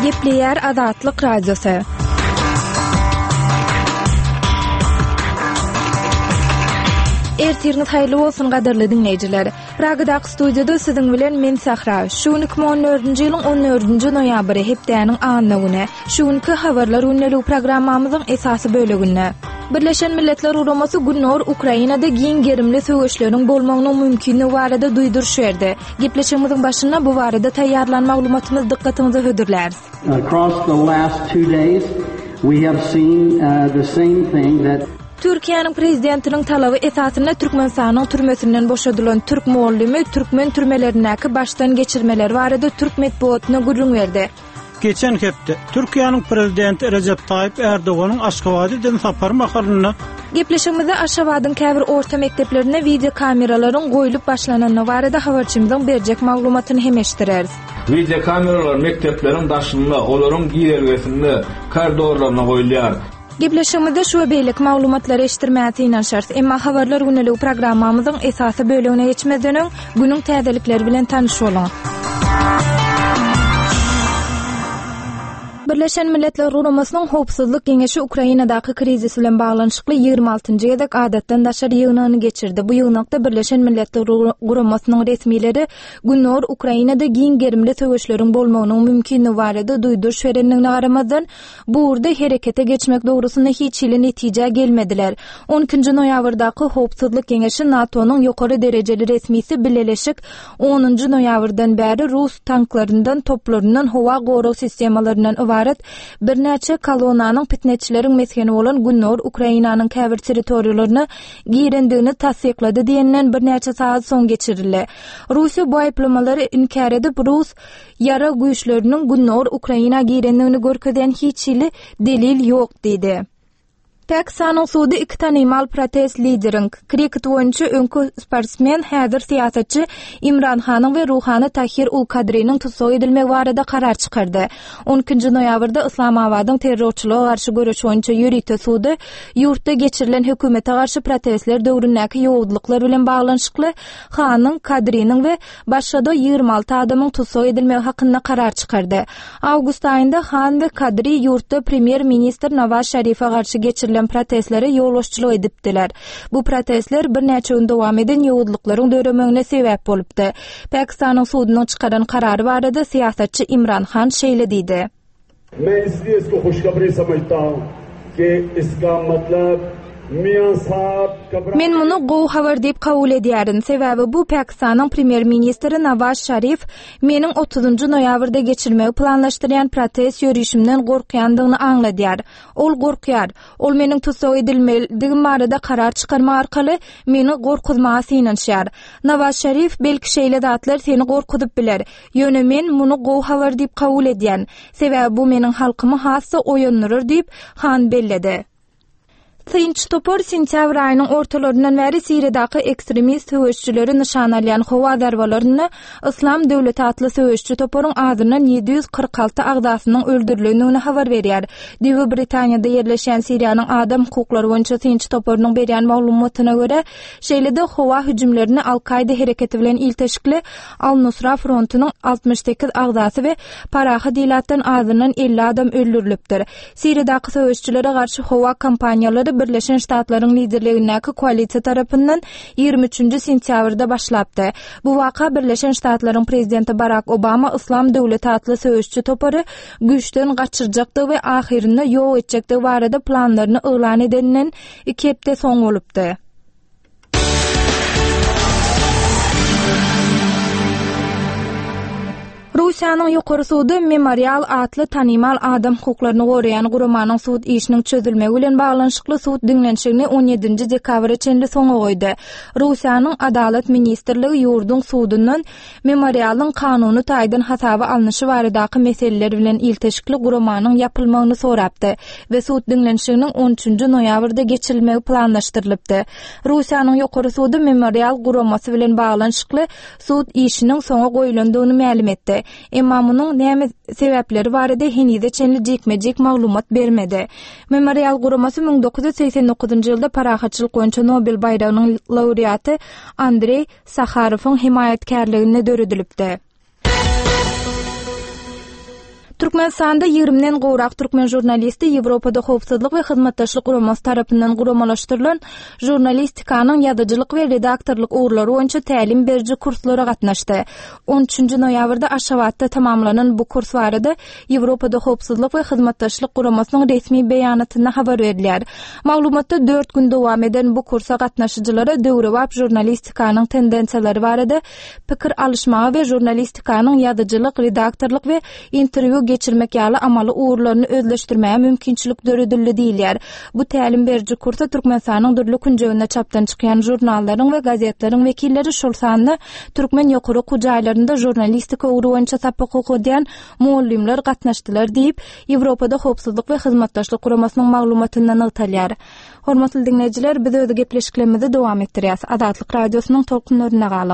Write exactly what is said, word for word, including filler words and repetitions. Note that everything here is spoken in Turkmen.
Gepleýär Azatlyk Radiosy. Ertiriňiz haýyrly bolsun gadyrly diňleýjiler. Pragadaky studiýada siziň bilen men Sahra. Şu gün iki müň on dördünji ýylyň on dördünji noýabry, hepdäniň anna güni. Şu günki Habarlar gündeligi programmamyzyň esasy böleginde Birleşen Milletler Guramasy Gündogar Ukrainada giň gerimli söweşleriň bolmagynyň mümkinligi barada duýduryş berdi. Gepleşigimiziň başynda bu barada taýýarlan maglumatymyzy dykgatyňyza hödürläris. Across the last two days we have seen the same thing that Türkiýäniň prezidentiniň talaby esasynda Türkmenistanyň türmesinden boşadylan türk mugallymy türkmen türmelerindäki başdan geçirmeleri barada türk metbugatyna gürrüň berdi. Geçen hepde Türkiýäniň prezidenti Rejep Taýyp Erdoganyň Aşgabada eden sapary mahalynda Gepleşigimizde Aşgabadyň käbir orta mekdeplerinde wideokameralaryň goýlup başlanandygy barada habarçymyzyň berjek maglumatyny hem eşitdireris. Wideokameralar mekdepleriň daşynda, olaryň girelgesinde, koridorlarynda goýulýar. Gepleşigimizde şu we beýleki maglumatlary eşitdirmäge synanyşarys. Emma Habarlar gündeligi programmamyzyň esasy bölegine geçmezden öň, günüň täzelikleri bilen tanyş boluň. Birleşen Milletler Guramasynyň Howpsuzlyk Geňeşi Ukrainadaky krizis bilen baglanyşykly ýigrimi altynjy gezek adatdan daşary ýygnagyny geçirdi. Bu ýygnakda Birleşen Milletler Guramasynyň resmileri Gündogar Ukrainada giň gerimli söweşleriň bolmagynyň mümkinligi barada duýduryş berendigine garamazdan, bu ugurda herekete geçmek dogrusynda hiç hili netijä gelmediler. On ikinji noýabrdaky Howpsuzlyk Geňeşi NATO-nyň ýokary derejeli resmisi Bileleşik onunjy noýabrdan bäri rus tanklaryndan, toplaryndan, howa gorag sistemalaryndan ybarat birnäçe kolonnanyň pitneçileriň mesgeni bolan Gündogar Ukrainanyň käbir territoriýalaryna girendigini tassyklady diýenden birnäçe sagat soň geçirildi. Russiýa bu aýyplamalary inkär edip, rus ýarag güýçleriniň Gündogar Ukraina girendigini görkezýän hiç hili delil ýok diýdi. Pakistanyň sudy iki tanymal protest lideriň, kriket boýunça öňki sportsmen, häzir syýasatçy Imran Hanyň we ruhany Tahir ul Kadriniň tussag edilmegi barada karar çykardy. On ikinji noýabrda Yslamabadyň terrorçylyga garşy göreş boýunça ýörite sudy ýurtda geçirilen hökümete garşy protestler döwründäki ýowuzlyklar bilen baglanyşykly Hanyň, Kadriniň we başga-da ýigrimi alty adamyň tussag edilmegi hakynda karar çykardy. Awgust aýynda Han we Kadri ýurtda premýer-ministr Nawaz Şarife garşy geçirilen protestlere ýolbaşçylyk edipdiler. Bu protestler birnäçe gün dowam eden ýowuzlyklaryň döremegine sebäp bolupdy. Pakistanyň sudunyň çykaran karary barada syýasatçy Imran Han şeýle diýdi. Men isliye isko hoşhabri samajta hun ki iska matlab Mian sahab kabra Men muny gowy habar diýip kabul edýärin, sebäbi bu Pakistanyň premýer-ministri Nawaz Şarif meniň otuzynjy noýabrda geçirmegi planlaşdyrýan protest ýörişimden gorkýandygyny aňladýar. Ol gorkýar. Ol meniň tussag edilmelidigim barada karar çykarmak arkaly meni gorkuzmaga synanyşýar. Nawaz Şarif, belki şeýle zatlar seni gorkuzyp biler. Ýöne men muny gowy habar diýip kabul edýän. Sebäbi bu meniň halkymy has-da oýandyrar diýip, Han belledi. Synçy topar sentýabr aýynyň ortalaryndan bäri Siriýadaky ekstremist söweşijileri nyşana alýan howa zarbalarynda Yslam döwleti atly söweşiji toparyň azyndan ýedi ýüz kyrk alty agzasynyň öldürilendigini habar berýär. Düýbi Britaniýada ýerleşýän Siriýanyň adam hukuklary boýunça synçy toparynyň berýän maglumatyna görä, şeýle-de howa hüjümlerinde Al-Kaýda hereketi bilen ilteşikli Al-Nusra frontunyň altmyş sekiz agzasy we parahat ilatdan azyndan elli adam öldürilipdir. Siriýadaky söweşijilere garşy howa kampaniýalary Birleşen Ştatlaryň liderligindäki koalisiýa tarapyndan ýigrimi üçünji sentýabrda başlapdy. Bu waka Birleşen Ştatlaryň prezidenti Barak Obama Yslam döwleti atly söweşiji topary güýçden gaçyrjakdygy we ahyrynda ýok etjekdigi barada planlaryny yglan edeninden iki hepde soň bolupdy. Russiýanyň ýokary sudy Memorial atly tanymal adam hukuklaryny goraýan guramanyň sud işiniň çözülmegi bilen baglanyşykly sud diňlenişigini on ýedinji dekabra çenli soňa goýdy. Russiýanyň Adalat ministrligi ýurduň sudundan Memorialyň kanuny taýdan hasaba alnyşy baradaky meseleler bilen ilteşikli guramanyň ýapylmagyny sorapdy we sud diňlenişiginiň on üçünji noýabrda geçirilmegi planlaşdyrylypdy. Russiýanyň ýokary sudy Memorial guramasy bilen baglanyşykly sud işiniň soňa goýulandygyny mälim etdi. Emma munuň näme sebäpleri barada henize çenli jikme-jik maglumat bermedi. Memorial guramasy müň dokuz ýüz segsen dokuzynjy ýylda parahatçylyk boýunça Nobel baýragynyň laureaty Andreý Saharowyň hemaýatkärliginde döredilipdi. Türkmenistanda ýigrimiden gowrak türkmen žurnalisti Ýewropada Howpsuzlyk we Hyzmatdaşlyk Guramasy tarapyndan guramalaşdyrylan žurnalistikanyň ýazyjylyk we redaktorlyk ugurlary boýunça tälim beriji kurslara gatnaşdy. On üçünji noýabrda Aşgabatda tamamlanan bu kurs barada Ýewropada Howpsuzlyk we Hyzmatdaşlyk Guramasynyň resmi beýanatynda habar berilýär. Maglumatda dört gün dowam eden bu kursa gatnaşyjylara döwrebap žurnalistikanyň tendensiýalary barada pikir alyşmaga we žurnalistikanyň ýazyjylyk, redaktorlyk we interwýu geçirmek ýaly amaly ugurlaryny özleşdirmäge mümkinçilik döredildi diýilýär. Bu tälim beriji kursa Türkmenistanyň dürli künjeginde çapdan çykýan žurnallaryň we gazetleriň wekilleri, şol sanda türkmen ýokary okuw jaýlarynda žurnalistika ugry boýunça sapak okadýan mugallymlar gatnaşdylar diýip, Ýewropada Howpsuzlyk we Hyzmatdaşlyk Guramasynyň maglumatynda nygtalýar. Hormatly diňleýjiler, biz öz gepleşiklerimizi dowam etdirýäs. Azatlyk Radiosynyň tolkunlarynda galyň.